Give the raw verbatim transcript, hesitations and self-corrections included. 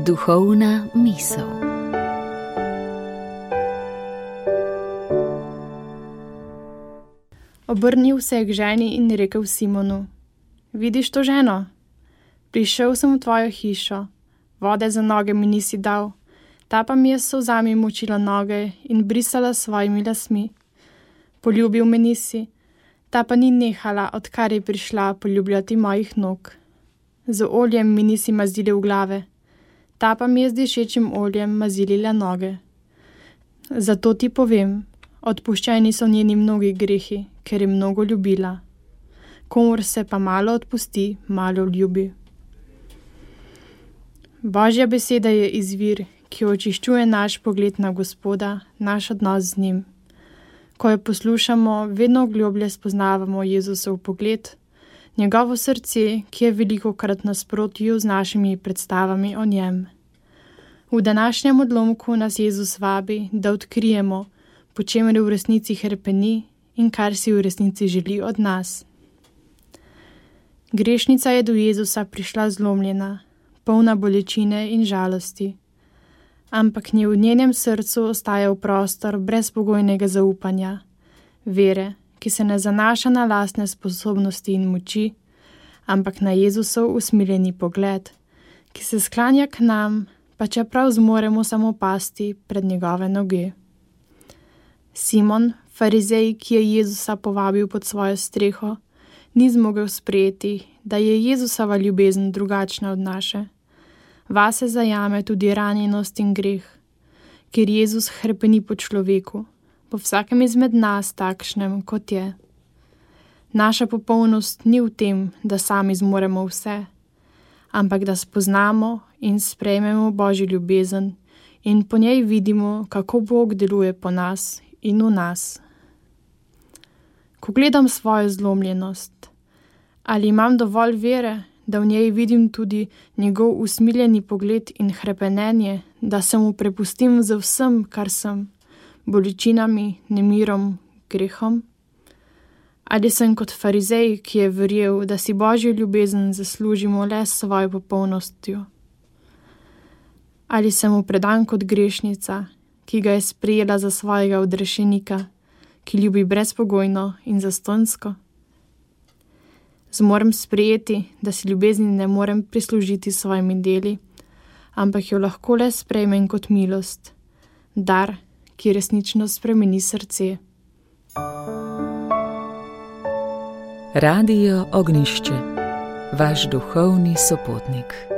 Duhovna misel. Obrnil se je k ženi in rekel Simonu: Vidiš to ženo? Prišel sem v tvojo hišo, vode za noge mi nisi dal, ta pa mi je s solzami močila noge in brisala s svojimi lasmi. Poljubil me nisi, ta pa ni nehala, odkar je prišla poljubljati mojih nog. Z oljem mi nisi mazili v glave, ta pa mi je z dišečim oljem mazilila noge. Zato ti povem, odpuščeni so njeni mnogi grehi, ker je mnogo ljubila. Komur se pa malo odpusti, malo ljubi. Božja beseda je izvir, ki očiščuje naš pogled na Gospoda, naš odnos z njim. Ko jo poslušamo, vedno globlje spoznavamo Jezusov pogled, njegovo srce, ki je velikokrat nasprotju z našimi predstavami o njem. V današnjem odlomku nas Jezus vabi, da odkrijemo, po čemer v resnici hrepeni in kar si v resnici želi od nas. Grešnica je do Jezusa prišla zlomljena, polna bolečine in žalosti, ampak nje v njenem srcu ostajal prostor brezpogojnega zaupanja, vere, ki se ne zanaša na lastne sposobnosti in moči, ampak na Jezusov usmiljeni pogled, ki se sklanja k nam, pa čeprav zmoremo samo pasti pred njegove noge. Simon, farizej, ki je Jezusa povabil pod svojo streho, ni zmogel sprejeti, da je Jezusova ljubezen drugačna od naše. Vase zajame tudi ranjenost in greh, ker Jezus hrepeni po človeku, po vsakem izmed nas takšnem, kot je. Naša popolnost ni v tem, da sami zmoremo vse, ampak da spoznamo in sprejmemo Božjo ljubezen in po njej vidimo, kako Bog deluje po nas in v nas. Ko gledam svojo zlomljenost, ali imam dovolj vere, da v njej vidim tudi njegov usmiljeni pogled in hrepenenje, da se mu prepustim z vsem, kar sem, bolečinami, nemirom, grehom? Ali sem kot farizej, ki je verjel, da si Božjo ljubezen zaslužimo le s svojo popolnostjo? Ali sem mu predan kot grešnica, ki ga je sprejela za svojega odrešenika, ki ljubi brezpogojno in zastonjsko? Zmorem sprejeti, da si ljubezni ne morem prislužiti s svojimi deli, ampak jo lahko le sprejmem kot milost, dar, ki resnično spremeni srce. Radio Ognjišče, vaš duhovni sopotnik.